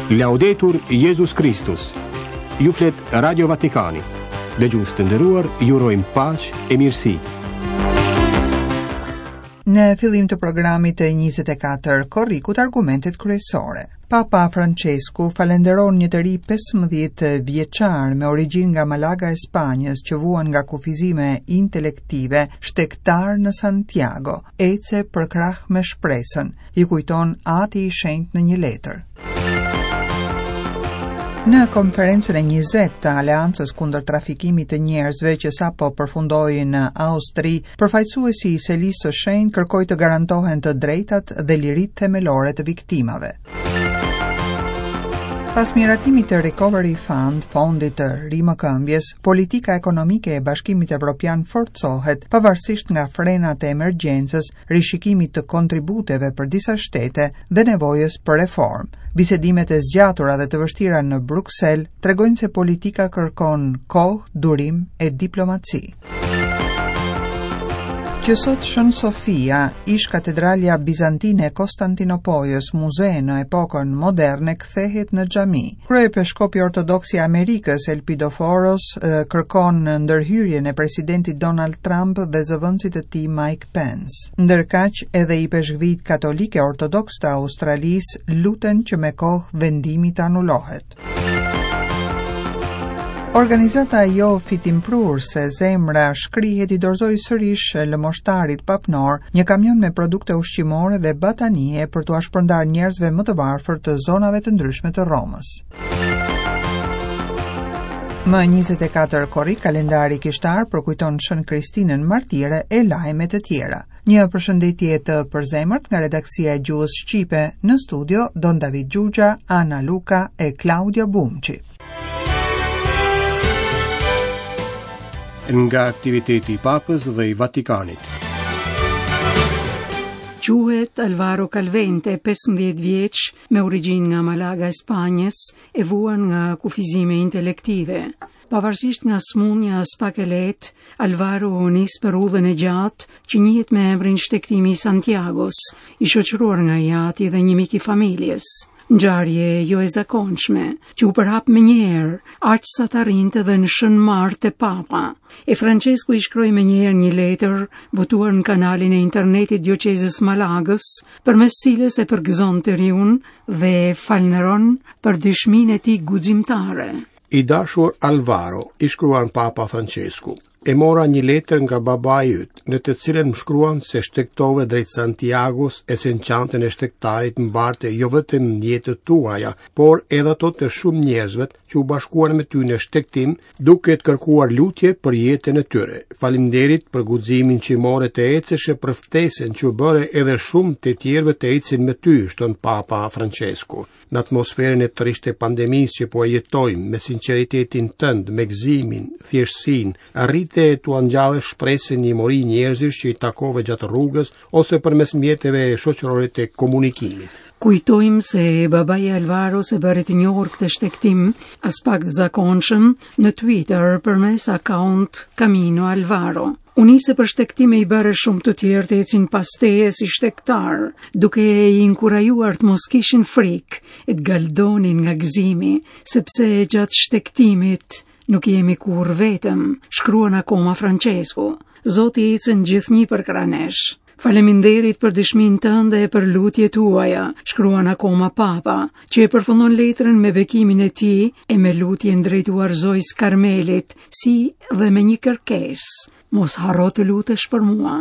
Laudetur Jezus Kristus. Ju flet Radio Vatikani. Dëgjues të nderuar, ju urojmë paqe e mirësi. Në fillim të programit të 24 korrikut argumentet kryesore. Papa Francesku falënderon një të ri 15 vjeçar me origjinë nga Malaga e Spanjës që vuan nga kufizime intelektive, shtegtar në Santiago, ece përkrah me shpresën, i kujton Ati i Shenjtë në një letër. Në konferencën e 20 të Aleancës kundër trafikimit të njerëzve që sapo përfundoi në Austri, përfaqësuesi i Selisë së Shenjtë kërkoi të garantohen të drejtat dhe liritë themelore të viktimave. Pas miratimit të Recovery Fund, fondit të rimëkëmbjes, politika ekonomike e Bashkimit Evropian forcohet, pavarësisht nga frenat e emergjencës rishikimit të kontributeve për disa shtete dhe nevojës për reformë. Bisedimet e zgjatura dhe të vështira në Bruksel tregojnë se politika kërkon kohë, durim e diplomaci. Që sot Shën Sofia, ish katedralja bizantine e Konstantinopojës, muze në epokën moderne, kthehet në xhami. Kryepeshkopi ortodoks i Amerikës, Elpidoforos, kërkon ndërhyrjen e presidentit Donald Trump dhe zëvendësit të tij Mike Pence. Ndërkaq, edhe ipeshkvijtë katolikë e ortodoksë të Australisë luten që me kohë vendimi të anulohet. Organizata jo fitimprurëse Zemra Shkrihet i dorëzoi sërish lëmoshtarit papnor një kamion me produkte ushqimore dhe batanije për t'ua shpërndarë njerëzve më të varfër të zonave të ndryshme të Romës. Më 24 korrik, kalendari kishtar përkujton Shën Kristinën Martire e lajme të tjera. Një përshëndetje të përzemërt nga redaksia e gjuhës shqipe në studio Don David Xhuxha, Ana Luka e Klaudia Bumçi. Nga aktiviteti i Papës dhe i Vatikanit. Quhet Alvaro Calvente, 15 vjeç, me origjinë nga Malaga e Spanjës, e vuan nga kufizime intelektive. Pavarësisht nga sëmundja aspak e lehtë, Alvaro u nis për udhën e gjatë që njihet me emrin Shtegtimi i Santiagos, i shoqëruar nga i ati dhe një mik i familjes. Ngjarje jo e zakonshme, që u përhap menjëherë, aq sa të arrinte dhe në Shën Martë te Papa. E Francesku i shkroi menjëherë një letër, botuar në kanalin e internetit dioqezës Malagës, përmes cilës e përgëzon të riun dhe e falënderon për dëshminë e tij guximtare. I dashur Alvaro, i shkruan Papa Francesku, e mora një letër nga babai yt, në të cilën më shkruan se shtegtove drejt Santiagos e se në çantën e shtegtarit mbarte jo vetëm jetët tuaja, por edhe ato të shumë njerëzve që u bashkuan me ty në shtegtim, duke të kërkuar lutje për jetën e tyre. Faleminderit për guximin që more të ecësh e për ftesën që u bëre edhe shumë të tjerëve të ecin me ty, shton Papa Francesku. Në atmosferën e trishtë të pandemisë që po e jetojmë, me sinqeritetin tënd, me gëzimin, thjeshtësinë, arrite t'ua ngjallësh shpresën një mori njerëzish që i takove gjatë rrugës ose përmes mjeteve shoqërore të komunikimit. Kujtojmë se babai i Alvaros e bëri të njohur këtë shtegtim aspak të zakonshëm në Twitter përmes account Camino Alvaro. U nise për shtegtim e i bëre shumë të tjerë të ecin pas teje si shtegtarë, duke i inkurajuar të mos kishin frikë e të galdonin nga gëzimi, sepse gjatë shtegtimit nuk jemi kurrë vetëm, shkruan akoma Francesku. Zoti ecën gjithnjë përkrah nesh. Faleminderit për dëshminë tënde e për lutjet tuaja, shkruan akoma Papa, që e përfundon letrën me bekimin e tij e me lutjen drejtuar Zojës Karmelit, si dhe me një kërkesë, mos harro të lutesh për mua.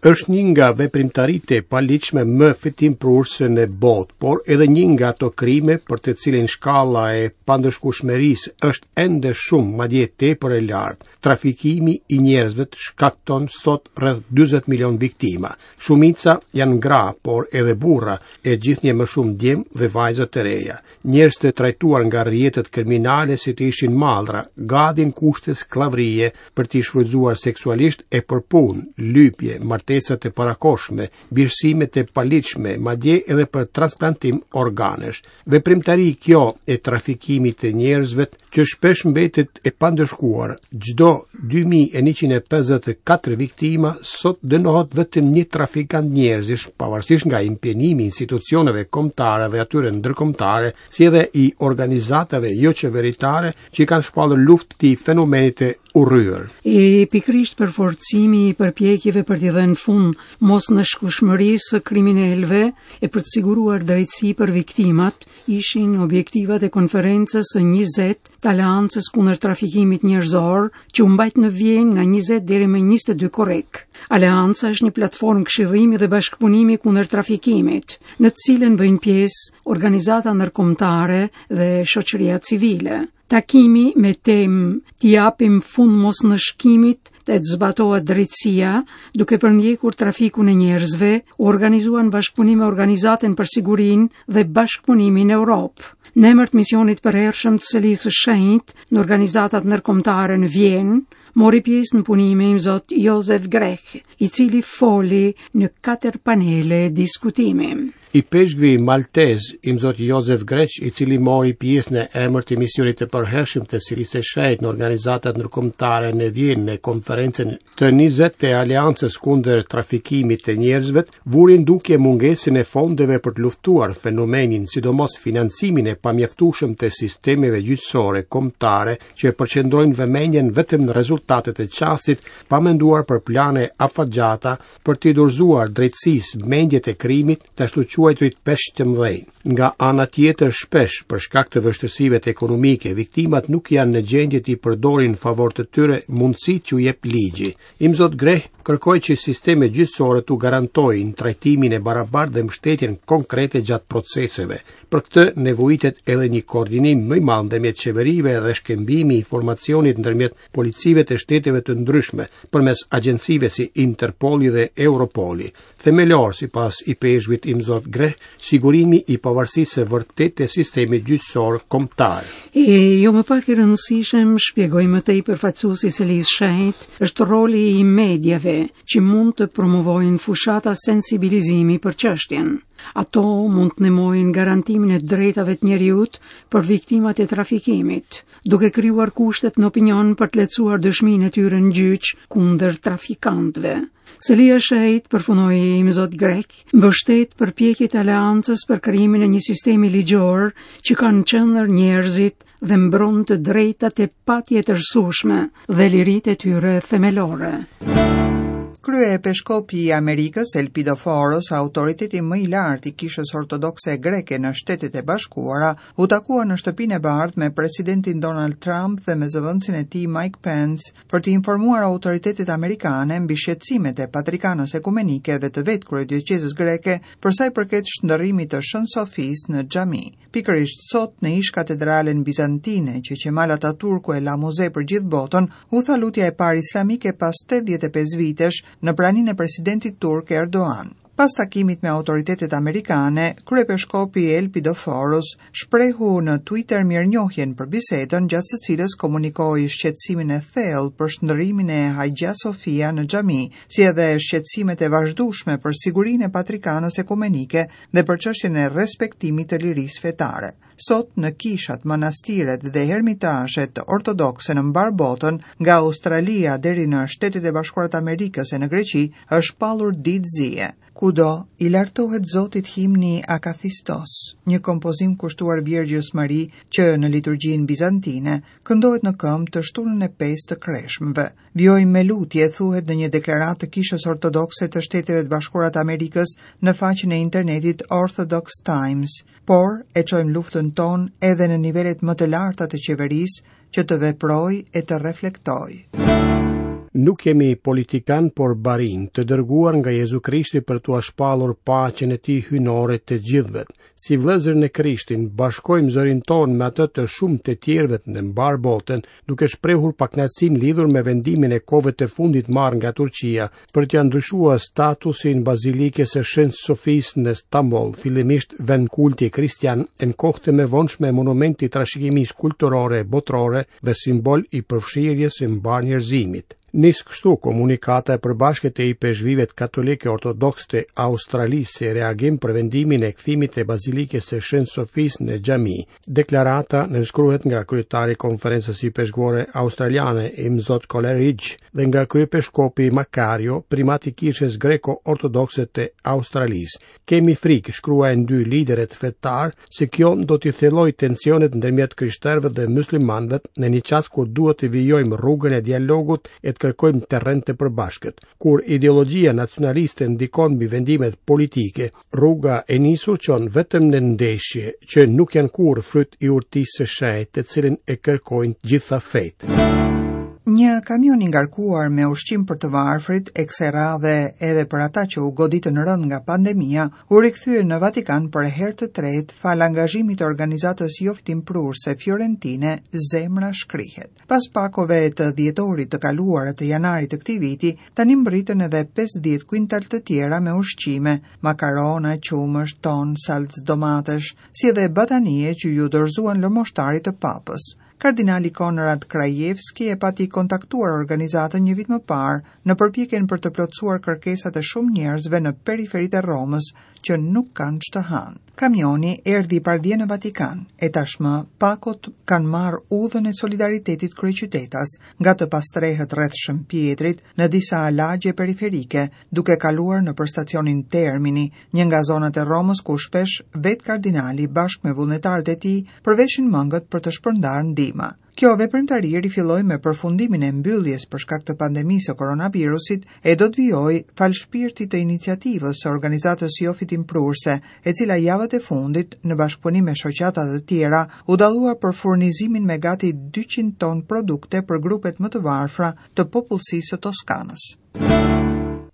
Është një nga veprimtaritë e paligjshme më fitimprurëse në botë, por edhe një nga ato krime për të cilin shkalla e pandëshkueshmërisë është ende shumë, madje tepër e lartë. Trafikimi i njerëzve shkakton sot rreth 40 milion viktima. Shumica janë gra, por edhe burra, e gjithnjë më shumë djem dhe vajza të reja. Njerëz të trajtuar nga rrjetet kriminale si të ishin mallra, gati në kushte skllavërie për t'i shfrytëzuar seksualisht e për punë, lypje, martesë. martesa të parakohshme, birësime të paligjshme, madje edhe për transplantim organesh. Veprimtari kjo e trafikimit të njerëzve që shpesh mbetet e pandëshkuar. Çdo 2154 viktima sot dënohet vetëm një trafikant njerëzish, pavarësisht nga impenjimi i institucioneve kombëtare dhe atyre ndërkombëtare, si edhe i organizatave joqeveritare që i kanë shpallur luftë këtij fenomeni të urryer. E pikërisht përforcimi i përpjekjeve për t'i dhënë fund mosndëshkueshmërisë së kriminelëve e për të siguruar drejtësi për viktimat ishin objektivat e konferencës së 20 të Aleancës kundër trafikimit njerëzor që u mbajt në Vjenë nga 20 deri më 22 korrik. Aleanca është një platformë këshillimi dhe bashkëpunimi kundër trafikimit, në të cilën bëjnë pjesë organizata ndërkombëtare dhe shoqëria civile. Takimi me temë t'i japim fund mosndëshkimit dhe të zbatohet drejtësia, duke përndjekur trafikun e njerëzve, u organizua në bashkëpunim me Organizatën për Sigurinë dhe Bashkëpunimin në Europë. Në emër të misionit të përhershëm të Selisë së Shenjtë në organizatat ndërkombëtare në Vjenë, mori pjesë në punime imzot Jozef Grech, i cili foli në katër panele diskutimi. Ipeshkvi maltez, imzot Jozef Grech, i cili mori pjesë në emër të misionit të përhershëm të Selisë së Shenjtë në organizatat ndërkombëtare në Vjenë në konferencën të 20 të Aleancës kundër trafikimit të njerëzve, vuri në dukje mungesën e fondeve për të luftuar fenomenin, sidomos financimin e pamjaftueshëm të sistemeve gjyqësore kombëtare që përqendrojnë vëmendjen vetëm në rezultatet e çastit, pa menduar për plane afatgjata për t'i dorëzuar drejtësisë mendjet e krimit, të ashtuquajturit peshq të mëdhenj. Nga ana tjetër, shpesh, për shkak të vështirësive ekonomike, viktimat nuk janë në gjendje t'i përdorin në favor të tyre mundësitë që u jep ligji. Imzot Grech kërkoi që sistemet gjyqësore t'u garantojnë trajtimin e barabartë dhe mbështetjen konkrete gjatë proceseve. Për këtë nevojitet edhe një koordinim më i madh ndërmjet qeverive dhe shkëmbimi i informacionit ndërmjet policive të shteteve të ndryshme përmes agjencive si Interpoli dhe Europoli. Themelor, sipas ipeshkvit Imzot Grech, sigurimi i pavarësisë së vërtetë të sistemit gjyqësor kombëtar. E jo më pak i rëndësishëm, shpjegoi më tej përfaqësuesi i Selisë së Shenjtë, është roli i mediave që mund të promovojnë fushata sensibilizimi për çështjen. Ato mund të ndihmojnë garantimin e drejtave të njeriut për viktimat e trafikimit, duke krijuar kushtet në opinion për të lehtësuar dëshminë e tyre në gjyq kundër trafikantëve. Selia e Shenjtë, përfundoi Imzot Grech, mbështet përpjekjet e Aleancës për krijimin e një sistemi ligjor që ka në qendër njerëzit dhe mbron të drejtat e patjetërsueshme dhe liritë e tyre themelore. Kryepeshkopi i Amerikës, Elpidoforos, autoriteti më i lartë i Kishës Ortodokse Greke në Shtetet e Bashkuara, u takua në Shtëpinë e Bardhë me presidentin Donald Trump dhe me zëvendësin e tij Mike Pence për të informuar autoritetet amerikane mbi shqetësimet e Patrikanës Ekumenike dhe të vetë kryedioqezës greke për sa i përket shndërrimit të Shën Sofisë në xhami. Pikërisht sot në ish katedralen bizantine që Qemal Ataturku e la muze për gjithë botën, u tha lutja e parë islamike pas 85 vitesh në praninë e presidentit turk Erdogan. Pas takimit me autoritetet amerikane, kryepeshkopi Elpidoforos shprehu në Twitter mirënjohjen për bisedën gjatë së cilës komunikoi shqetësimin e thellë për shndërrimin e Hagia Sofia në xhami, si edhe shqetësimet e vazhdueshme për sigurinë e Patrikanës Ekumenike dhe për çështjen e respektimit të lirisë fetare. Sot në kishat, manastiret dhe hermitazhet ortodokse në mbarë botën, nga Australia deri në Shtetet e Bashkuara të Amerikës e në Greqi, është shpallur ditë zie. Kudo i lartohet Zotit himni Akathistos, një kompozim kushtuar Virgjës Mari që në liturgjinë bizantine këndohet në këmbë të shtunën e pestë të Kreshmëve. Vijojmë me lutje, thuhet në një deklaratë të Kishës Ortodokse të Shteteve të Bashkuara të Amerikës në faqen e internetit Orthodox Times. Por, e çojmë luftën tonë edhe në nivelet më të larta të qeverisë që të veprojë e të reflektojë. Nuk jemi politikanë, por barinj, të dërguar nga Jezu Krishti për t'ua shpallur paqen e tij hyjnore të gjithëve. Si vëllezër në Krishtin, bashkojmë zërin tonë me atë të shumë të tjerëve në mbarë botën, duke shprehur pakënaqësinë lidhur me vendimin e kohëve të fundit marrë nga Turqia për t'ia ndryshuar statusin Bazilikës së Shën Sofisë në Stamboll, fillimisht vend kulti kristian, e në kohë të mëvonshme monument i trashëgimisë kulturore botërore dhe simbol i përfshirjes së mbarë njerëzimit. Nis kështu komunikata e përbashkët e ipeshkvijve katolikë e ortodoksë të Australisë si reagim për vendimin e kthimit të Bazilikës së Shën Sofisë në xhami. Deklarata nënshkruhet nga kryetari i Konferencës Ipeshkvore Australiane, Imzot Coleridge, dhe nga kryepeshkopi Makario, primat i Kishës Greko-Ortodokse të Australisë. Kemi frikë, shkruajnë dy liderët fetarë, se kjo do t'i thellojë tensionet ndërmjet krishterëve dhe muslimanëve në një çast kur duhet të vijojmë rrugën e dialogut e të kërkojmë terren të përbashkët. Kur ideologjia nacionaliste ndikon mbi vendimet politike, rruga e nisur çon vetëm në ndeshje, që nuk janë kurrë fryt i urtisë së shenjtë, të cilën e kërkojnë të gjitha fetë. Një kamion i ngarkuar me ushqim për të varfrit, e kësaj radhe edhe për ata që u goditën rëndë nga pandemia, u rikthye në Vatikan për herë të tretë falë angazhimit të organizatës jofitimprurëse Fiorentine Zemra Shkrihet. Pas pakove të dhjetorit të kaluar e të janarit të këtij viti, tani mbërritën edhe 50 kuintal të tjera me ushqime, makarona, qumësht, ton, salcë domatesh, si edhe batanije që iu dorëzuan lëmoshtarit të papës. Kardinali Konrad Krajewski e pati kontaktuar organizatën një vit më parë në përpjekjen për të plotësuar kërkesat e shumë njerëzve në periferitë e Romës që nuk kanë ç'të hanë. Kamioni erdhi pardje në Vatikan, e tashmë pakot kanë marrë udhën e solidaritetit kryeqytetas, nga të pastrehët rreth Shën Pjetrit në disa lagje periferike, duke kaluar nëpër stacionin Termini, një nga zonat e Romës ku shpesh vetë kardinali bashkë me vullnetarët e tij përveshin mëngët për të shpërndarë ndihma. Kjo veprimtari rifilloi me përfundimin e mbylljes për shkak të pandemisë së koronavirusit e do të vijojë falë shpirtit të iniciativës së organizatës jofitimprurëse, e cila javët e fundit, në bashkëpunim me shoqata të tjera, u dallua për furnizimin me gati 200 ton produkte për grupet më të varfra të popullsisë së Toskanës.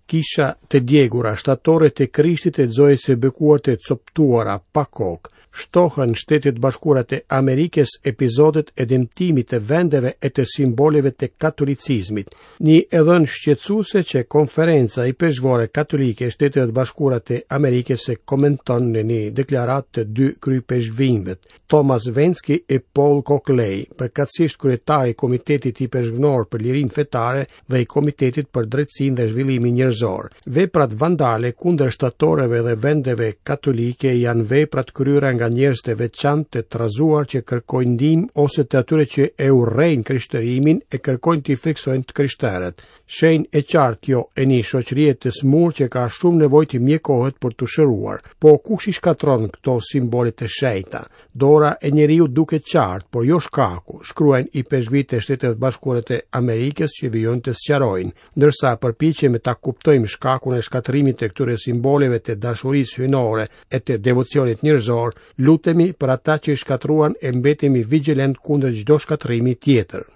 Kisha të djegura, shtatore të Krishtit e Zojës së Bekuar të coptuara, pa kokë, shtohen në Shtetet e Bashkuara të Amerikës epizodet e dëmtimit të vendeve e të simboleve të katolicizmit. Një e dhënë shqetësuese që Konferenca Ipeshkvore Katolike e Shteteve të Bashkuara të Amerikës e komenton në një deklaratë të dy kryeipeshkvinjve. Thomas Wenski e Paul Coakley, përkatësisht kryetari i Komitetit Ipeshkvnor për Lirinë Fetare dhe i Komitetit për Drejtësinë dhe Zhvillimin Njerëzor. Veprat vandale kundër shtatoreve dhe vendeve katolike janë vepra të kryera nga njerëz të veçantë të trazuar që kërkojnë ndihmë ose të atyre që e urrejnë krishtërimin e kërkojnë t'i frikësojnë të krishterët. Shenjë e qartë kjo e një shoqërie të sëmurë që ka shumë nevojë të mjekohet për t'u shëruar. Po kush i shkatërron këto simbole të shenjta? Dora e njeriut duket qartë, por jo shkaku, shkruajnë ipeshkvijtë e Shteteve të Bashkuara të Amerikës që vijojnë të sqarojnë, ndërsa përpiqemi ta kuptojmë shkakun e shkatërrimit të këtyre simboleve të dashurisë hyjnore e të devocionit njerëzor, Lutemi për ata që i shkatërruan e mbetemi vigjilent kundër çdo shkatërrimi tjetër.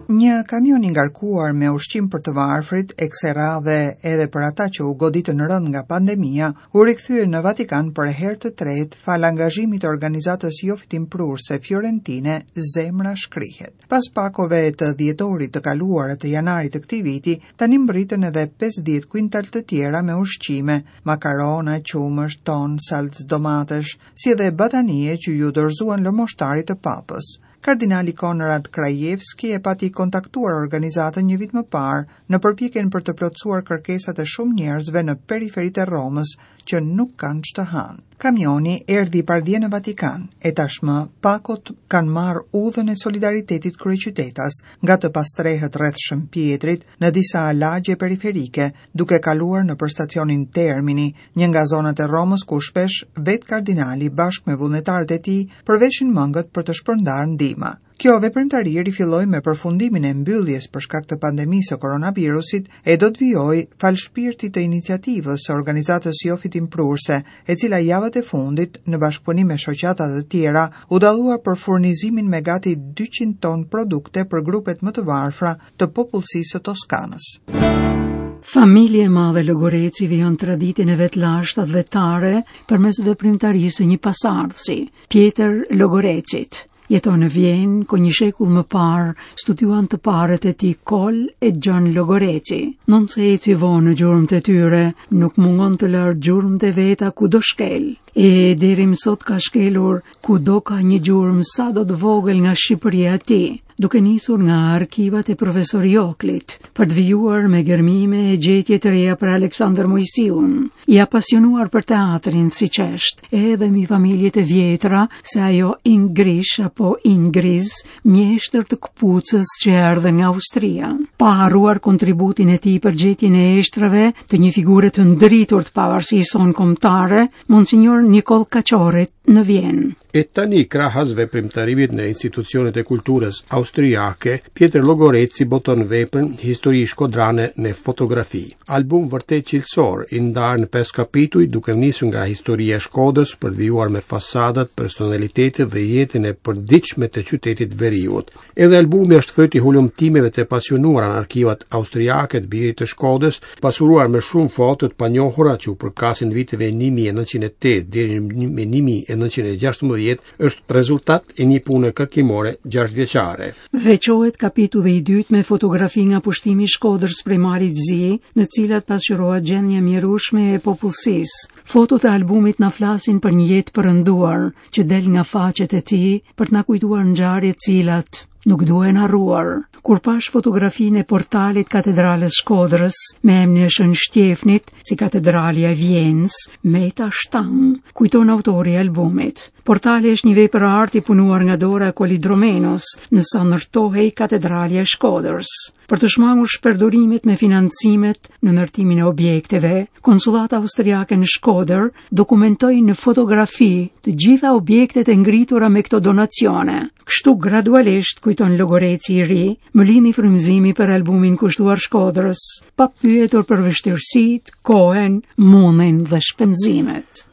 Një kamion i ngarkuar me ushqim për të varfrit, e kësaj radhe edhe për ata që u goditën rëndë nga pandemia, u rikthye në Vatikan për herë të tretë falë angazhimit të organizatës jofitimprurëse Fiorentine Zemra Shkrihet. Pas pakove të dhjetorit të kaluar e të janarit të këtij viti, tani mbërritën edhe 50 kuintal të tjera me ushqime, makarona, qumësht, ton, salcë domatesh, si edhe batanije që iu dorëzuan lëmoshtarit të papës. Kardinali Konrad Krajewski e pati kontaktuar organizatën një vit më parë në përpjekjen për të plotësuar kërkesat e shumë njerëzve në periferitë e Romës që nuk kanë ç'të hanë. Kamioni erdhi pardje në Vatikan, e tashmë pakot kanë marrë udhën e solidaritetit kryeqytetas, nga të pastrehët rreth Shën Pjetrit, në disa lagje periferike, duke kaluar nëpër stacionin Termini, një nga zonat e Romës ku shpesh vetë kardinali bashkë me vullnetarët e tij përveshin mëngët për të shpërndarë ndihma. Kjo veprimtari rifilloi me përfundimin e mbylljes për shkak të pandemisë së koronavirusit e do të vijojë falë shpirtit të iniciativës së organizatës jofitimprurëse, e cila javët e fundit, në bashkëpunim me shoqata të tjera, u dallua për furnizimin me gati 200 ton produkte për grupet më të varfra të popullsisë së Toskanës. Familja e madhe Logoreci vijon traditën e vet të lashtë atdhetare përmes veprimtarisë së një pasardhësi, Pjetër Logorecit. Jeton në Vjenë, ku një shekull më parë studiuan të parët e tij Kol e Gjon Logoreci. Ndonëse eci vonë në gjurmët e tyre, nuk mungon të lërë gjurmët e veta kudo shkel. E deri më sot ka shkelur kudo ka një gjurmë sado të vogël nga Shqipëria e tij, duke nisur nga arkivat e profesor Joklit, për të vijuar me gërmime e gjetje të reja për Aleksandër Moisiun, i apasionuar për teatrin siç është, edhe mi familjet e vjetra se ajo Ingrish apo Ingriz, mjeshtër të këpucës që erdhën nga Austria. Pa harruar kontributin e tij për gjetjen e eshtrave të një figure të ndritur të pavarësisë sonë kombëtare, Monsinjor Nikoll Kaçorrit në Vjenë. E tani krahas veprimtarimit në institucionet e kulturës austriake, Pjetër Logoreci boton veprën Histori shkodrane në fotografi. Album vërtet cilësor, i ndarë në 5 kapituj, duke nisur nga historia e Shkodrës për të vijuar me fasadat, personalitetet dhe jetën e përditshme të qytetit veriut. Edhe albumi është fryt i hulumtimeve të pasionuara në arkivat austriake të birit të Shkodrës, pasuruar me shumë foto të panjohura që u përkasin viteve 1908 deri në 1916, është rezultat i një pune kërkimore 6 vjeçare. Veçohet kapitulli i dytë me fotografi nga pushtimi i Shkodrës prej Malit Zi, në cilat pasqyrohet gjendja e mjerueshme e popullsisë. Fotot e albumit na flasin për një jetë përënduar që del nga faqet e tij për të na kujtuar ngjarje të cilat nuk duhen harruar. Kur pash fotografinë e portalit katedralës Shkodrës me emrin e Shën Shtjefnit si katedralja e Vjenës, meta shtang, kujton autori i albumit. Portali është një vepër arti punuar nga dora e Kolidromenos, në sa ndërtohej katedralja e Shkodrës. Për të shmangur shpërdorimet me financimet në ndërtimin e objekteve, konsullata austriake në Shkodër dokumentoi në fotografi të gjitha objektet e ngritura me këto donacione. Kështu gradualisht, kujton Logoreci i ri, më lindi frymëzimi për albumin kushtuar Shkodrës, pa pyetur për vështirësitë, kohën, mundin dhe shpenzimet.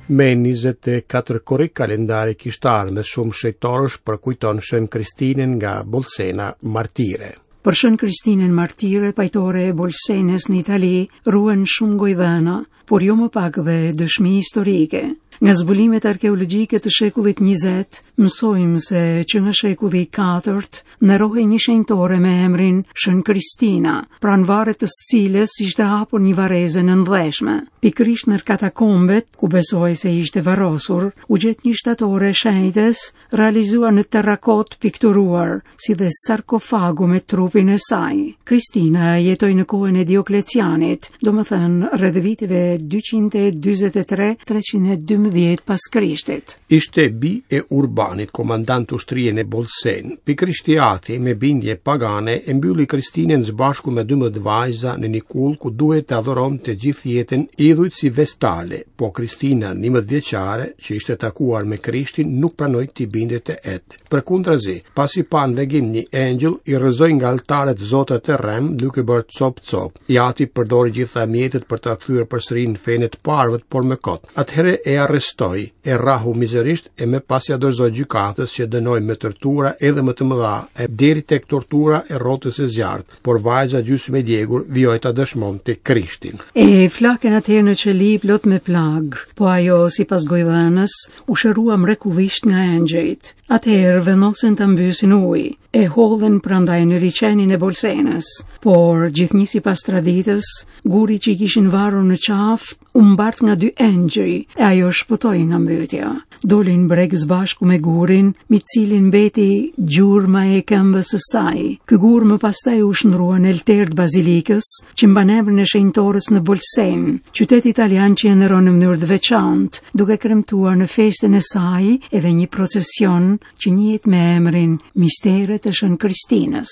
Me 24 korrik kalendari kishtar me shumë shenjtorësh përkujton Shën Kristinën nga Bolsena Martire. Për Shën Kristinën Martire, pajtore e Bolsenës në Itali, ruhen shumë gojëdhëna, por jo më pak dhe dëshmi historike. Nga zbulimet arkeologjike të shekullit 20, mësojmë se që nga shekulli i katërt nderohej një shenjtore me emrin Shën Kristina, pranë varrit të së cilës ishte hapur një varrezë e nëndheshme. Pikërisht në katakombet, ku besohej se ishte varrosur, u gjet një shtatore e shenjtës realizuar në terrakot pikturuar, si dhe sarkofagu me trupin e saj. Kristina jetoi në kohën e Dioklecianit, domethënë rreth viteve 243-312 pas Krishtit. Ishte bijë e Urbanit, komandant ushtrie në Bolsen. Pikërisht i ati, me bindje pagane, e mbylli Kristinën së bashku me 12 vajza në një kullë ku duhet të adhuronte gjithë jetën idhujt si vestale, po Kristina, 11 vjeçare, që ishte takuar me Krishtin, nuk pranoi t'i bindej të ët. Përkundrazi, pasi pa në vegim një engjëll, i rrëzoi nga altarët zotat e rremë, duke bërë cop cop. I ati përdori gjitha mjetet për ta kthyer përsëri në fenë e të parëve, por më kot. Atëherë e arrestoi, e rrahu mizerisht e më pas ia dorëzoi gjykatës që dënoi me tortura edhe më të mëdha, e deri tek tortura e rrotës së zjarrit. por vajza gjysmë e djegur vijoi ta dëshmonte Krishtin. E flakën atëherë në qeli plot me plagë, po ajo sipas gojëdhënës u shërua mrekullisht nga engjëjt. Atëherë vendosën ta mbysin në ujë, e hodhën prandaj në liqenin e Bolsenës, por gjithnjë sipas traditës, guri që i kishin varur në qafë u mbart nga dy engjëj e ajo shpëtoi nga mbytja. Doli në breg së bashku me gurin, mbi të cilin mbeti gjurma e këmbës së saj. Ky gur më pastaj u shndërrua në altar të bazilikës, që mban emrin e shenjtores në Bolsen, qytet italian që e nderon në mënyrë të veçantë, duke kremtuar në festën e saj edhe një procesion që njihet me emrin Misteret e Shën Kristinës.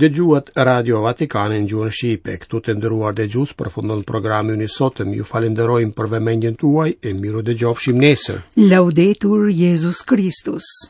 Dëgjuat Radio Vatikanin në gjuhën shqipe. Këtu të nderuar dëgjues përfundon programi ynë i sotëm. Ju falenderojmë për vëmendjen tuaj e mirudëgjofshim nesër. Laudetur Jezus Kristus.